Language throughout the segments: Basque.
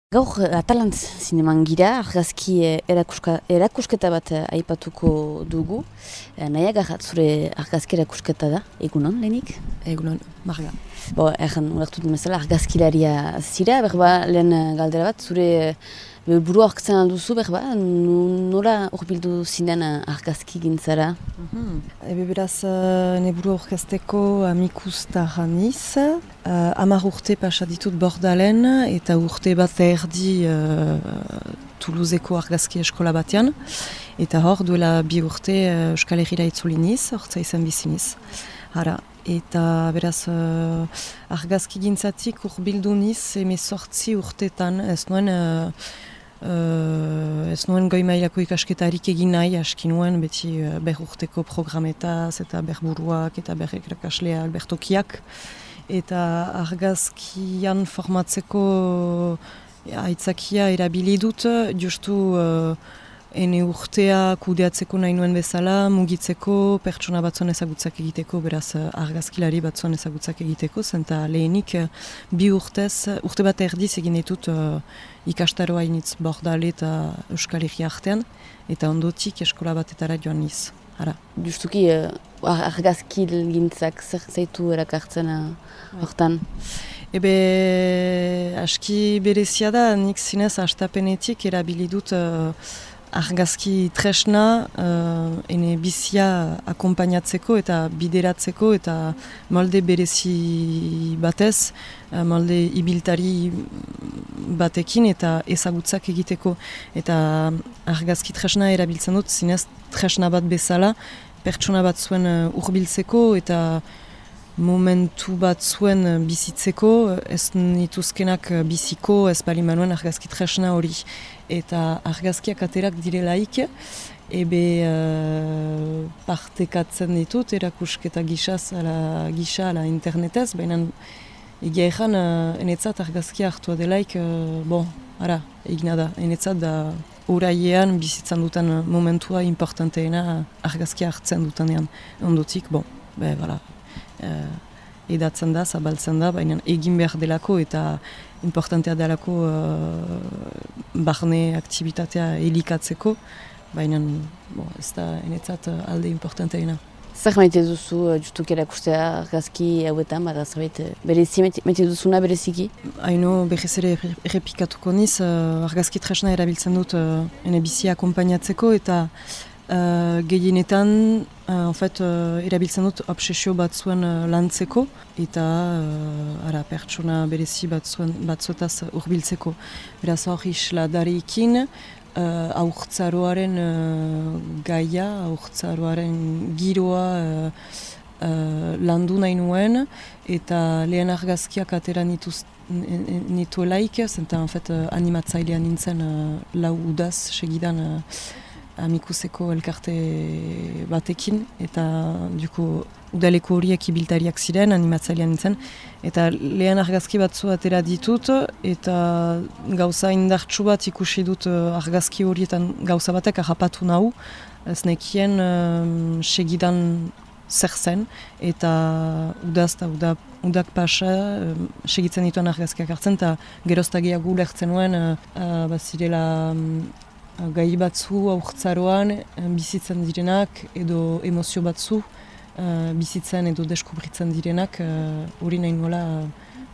Gaur Atalantz zineman gira, argazki erakusketa bat aipatuko dugu. Nahiaga zure argazki erakusketa da, egunon lehenik? Egunon, Marga. Erran ulertut bezala argazkilaria zira, lehen galdera bat, zure burua aurkitzen alduzu, nola urbildu zinen argazki gintzara? Beraz, ne burua aurkezteko amikustarra niz. 10 urte pasa ditut Bordalen eta urte bat erdi Toulouseko argazki eskola batean. Eta hor duela 2 urte Euskal Herrira itzuli niz, hortza izan biziniz. Eta beraz argazki gintzatik urbildu niz 18 urtetan, ez nuen goi mailako ikasketarik egin nahi, aski nuen beti urteko programetaz eta buruak eta irakasleak, tokiak. Eta argazkian formatzeko aitzakia erabili dut, justu ene urtea kudeatzeko nahi nuen bezala, mugitzeko, pertsona batzuen ezagutzak egiteko, beraz argazkilari batzuen ezagutzak egiteko, zenta lehenik 2 urte bat erdiz egin ditut ikastaroa initz Bordale eta Euskal Herria artean, eta ondotik eskola batetara joan niz. Justuki argazkil gintzak zer zaitu erakartzen hortan? Aski berezia da, nik zinez hastapenetik erabili dut argazki tresna ene bizia akompainatzeko eta bideratzeko eta molde berezi batez, molde ibiltari batekin eta ezagutzak egiteko. Eta argazki tresna erabiltzen dut zinez tresna bat bezala, pertsona bat zuen hurbiltzeko eta momentu bat zuen bizitzeko, ez nituzkenak biziko, ez bali manuen argazki tresna hori. Eta argazkiak aterak direlaik, partekatzen ditut, erakusketa gisa ala internetez, baina egia ezan, enetzat argazkia hartua delaik, egina da, enetzat da oraiean bizitzan dutan momentua importanteena argazkia hartzen dutanean. Ondotik, edatzen da, zabaltzen da, baina egin behar delako eta importantea delako barne aktivitatea elikatzeko, baina ez da enetzat alde importanteena. Zer maite duzu justuki erakustea argazki hauetan, zerbait berezi maite duzuna bereziki? Haino berriz ere errepikatuko niz, argazki tresna erabiltzen dut ene bizia akompainatzeko eta gehienetan erabiltzen dut obsesio batzuen lantzeko eta pertsona berezi batzuetaz urbiltzeko. Beraz hor isladarekin aurtzaroaren gaia, aurtzaroaren giroa landu nahi nuen eta lehen argazkiak atera nituelaik, zenta animatzailean nintzen lau udaz segidan amikuseko elkarte batekin, eta udaleko horiek ibiltariak ziren, animatzailean nintzen, eta lehen argazki batzu atera ditut, eta gauza indartsu bat ikusi dut argazki horietan gauza batek harrapatu nahu, ez nekien segidan zer zen, eta udaz eta udak pasa segitzen dituen argazkiak hartzen, eta geroztagiago ulertzen nuen, bazirela gai batzu aurtzaroan bizitzen direnak edo emozio batzu bizitzen edo deskubritzen direnak hori nahi nola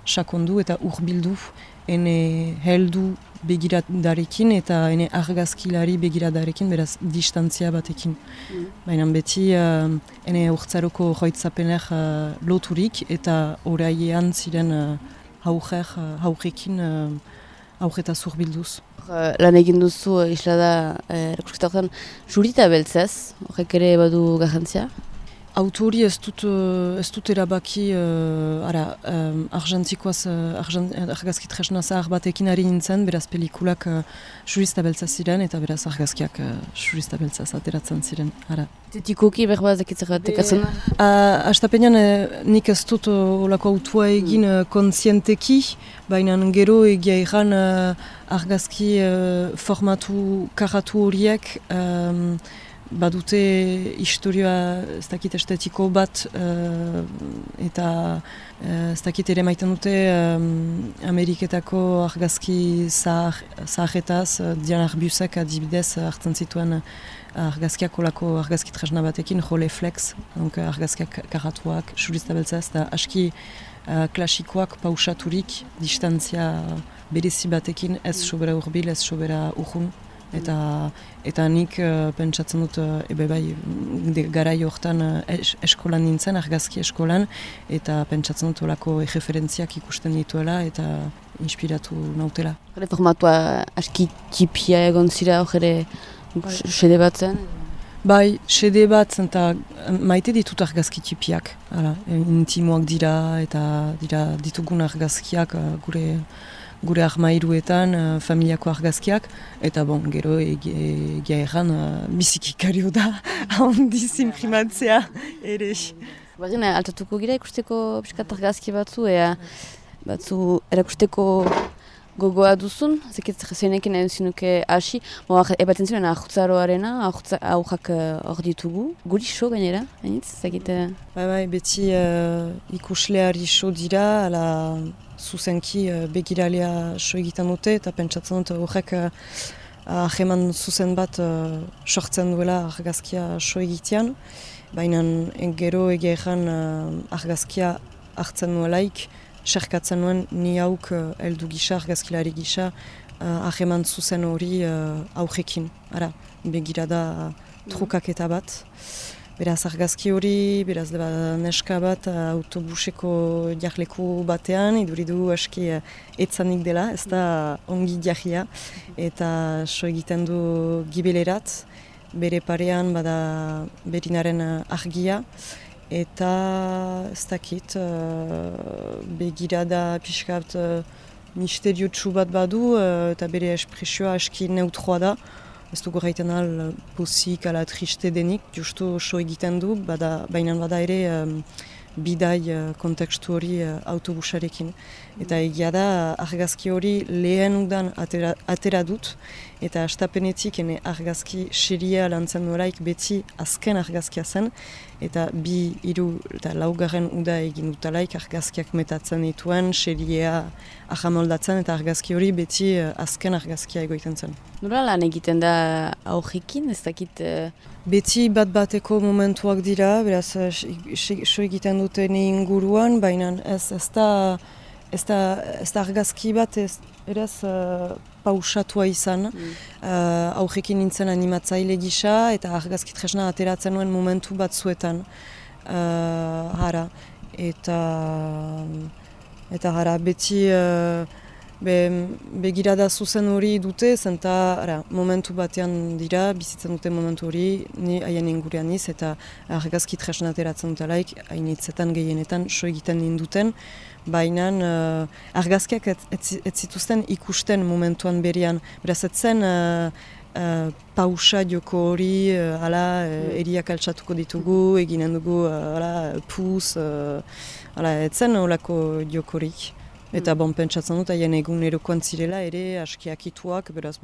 sakondu eta urbildu ene heldu begiradarekin eta ene argazkilari begiradarekin, beraz distantzia batekin. Baina beti ene aurtzaroko joitzapener loturik eta oraiean ziren haurekin aurretaz urbilduz. Lan egin duzu islada erakusketa horretan jurita beltzez, horrek ere badu garrantzia? Autori ez dut erabaki argentikoaz argazki tresna zahar batekin ari nintzen, beraz pelikulak jurista beltzaz ziren eta beraz argazkiak jurista beltzaz ateratzen ziren. Tetikoki berbaz dakitzer batekatzen? Astapenean nik ez dut olako autua egin kontzienteki, baina gero egia erran argazki formatu karatu horiek badute historia ez dakit estetiko bat eta ez dakit ere maiten dute Ameriketako argazki zaharretaz, Diana Arbusek adibidez hartzen zituen argazkiak olako argazki tresna batekin, Rolleiflex, argazkiak karatuak, surista beltza ez da aski klasikoak pausaturik, distantzia berezi batekin, ez sobera urbil, ez sobera urrun. Eta nik pentsatzen dut garai hortan eskolan nintzen, argazki eskolan, eta pentsatzen dut olako referentziak ikusten dituela eta inspiratu nautela. Formatua aski txipia egon zira hori sede bat zen? Bai, sede bat zen eta maite ditut argazki txipiak. Intimoak dira eta ditugun argazkiak gure armairuetan, familiako argazkiak, eta gero egia erran bizikikario da, handiz imprimatzea ere. Bagina, altatuko gira ikusteko piskat argazki batzu erakusteko gogoa duzun, zeinekin nahi zinuke hasi, ebaten ziren ahutzaroarena, ahujak hor ditugu, guri so gainera, hainitz, zekite? Bai, beti ikusleari so dira, ala zuzenki begiralea so egiten dute, eta pentsatzen dut horrek aheman zuzen bat sortzen duela argazkia so egitean, baina gero egeran argazkia hartzen nuelaik, serkatzen nuen ni hauk heldu gisa, argazkilari gisa, aheman zuzen hori aurrekin. Begirada trukaketa bat. Beraz argazki hori, beraz neska bat autobuseko jarleku batean, iduridu aski etzanik dela, ez da ongi jarria, eta so egiten du gibelerat, bere parean bada berinaren argia, eta ez dakit begirada pixkat misteriotsu bat badu, eta bere espresioa aski neutroa da. Ez dugu gaiten pozik ala triste denik, justu so egiten du, baina bada ere bidai kontekstu hori autobusarekin. Eta egia da argazki hori lehen udan atera dut, eta astapenetik argazki seria lantzen noraik beti azken argazkia zen, eta 2, 3 eta 4 uda egin dutalaik argazkiak metatzen dituen, seria ahamoldatzen, eta argazki hori beti azken argazkia egoiten zen. Nola lan egiten da aurrekin, ez dakit? Beti bat-bateko momentuak dira, beraz so egiten duten inguruan, baina ez da argazki bat eraz pausatua izan. Aurrekin nintzen animatzaile gisa eta argazki tresna ateratzen nuen momentu batzuetan. Eta beti begirada zuzen hori dute, zenta momentu batean dira, bizitzen dute momentu hori, ni haien ingurean iz, eta argazki tresna ateratzen dutelaik, hainitzetan gehienetan so egiten ninduten, baina argazkiak ez zituzten ikusten momentuan berian. Beraz, etzen pausa joko hori, eriak altxatuko ditugu, eginen dugu puz, etzen olako jokorik. Eta pentsatzen dut, haien egunerokoan zirela ere askiakituak, beraz,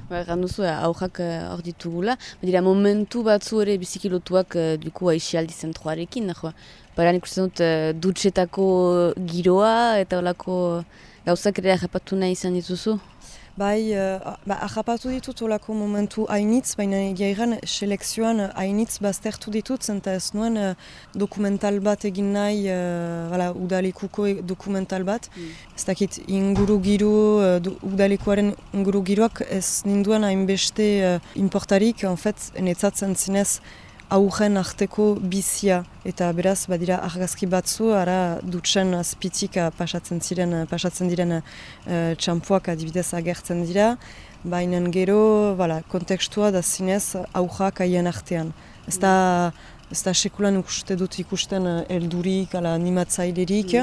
Erran duzu, aurrak hor ditugula. Dira, momentu batzu ere bizikilotuak duku aixialdi zentroarekin. Baina ikusten dut dutxetako giroa eta olako gauzak ere agapatu nahi izan dituzu? Bai, agapatu ditut olako momentu hainitz, baina egiairan selekzioan hainitz baztertu ditut, zenta ez nuen dokumental bat egin nahi, udalekuko dokumental bat. Ez dakit inguru giro, udalekuaren inguru giroak ez ninduan hainbeste importarik, netzatzen zinez aurren arteko bizia, eta beraz badira argazki batzu, dutxen azpitik pasatzen diren txampuak adibidez agertzen dira, baina gero kontekstua da zinez aurrak haien artean. Ez da sekulan ikusten heldurik, animatzailerik,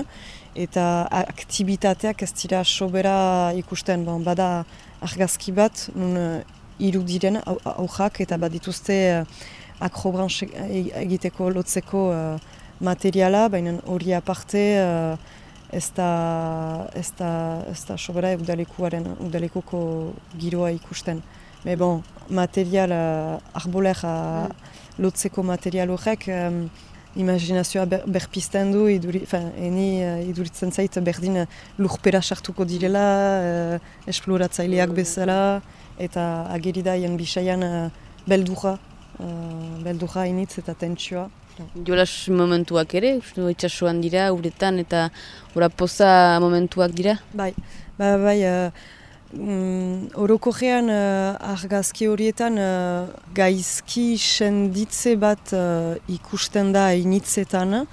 eta aktibitateak ez dira sobera ikusten. Bada argazki bat, nun irudiren aurrak eta badituzte akrobranche egiteko lotzeko materiala, baina hori aparte ez da sobera udalekuko giroa ikusten. Me bon, material, arbolera lotzeko material horrek, imaginazioa berpizten du, iduritzen zait berdin lurpera sartuko direla, esploratzaileak bezala, eta ageridaien bisaian beldurra initz eta tentsioa. Jolas momentuak ere, itxasuan dira, uretan eta ora poza momentuak dira? Bai. Orokorrean argazki horietan gaizki senditze bat ikusten da initzetan,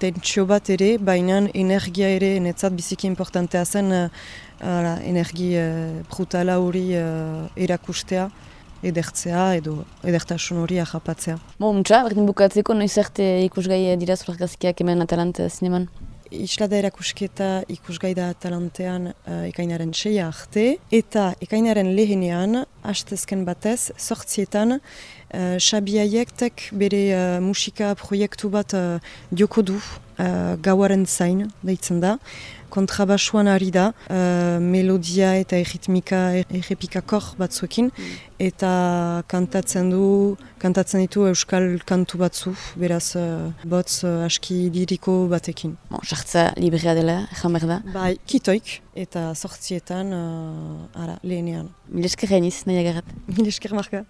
tentsio bat ere, baina energia ere netzat biziki importantea zen energia brutala hori erakustea, edertzea edo edertasun hori ahapatzea. Muntza, berdin bukatzeko, noiz arte ikusgai dira zure argazkiak hemen Atalant zineman? Islada erakusketa ikusgai da Atalantean ekainaren 6 arte, eta ekainaren lehenean, hastezken batez, 8etan, Xabi Aiektek bere musika proiektu bat joko du, gauaren zain, deitzen da. Kontrabasuan ari da, melodia eta erritmika errepikakor batzuekin, eta kantatzen ditu euskal kantu batzu, beraz botz aski liriko batekin. Sartza librea dela, ezan behar da? Bai, kitoik, eta 8etan lehenean. Mil esker gainiz, nahi agarrat. Mil esker Marka.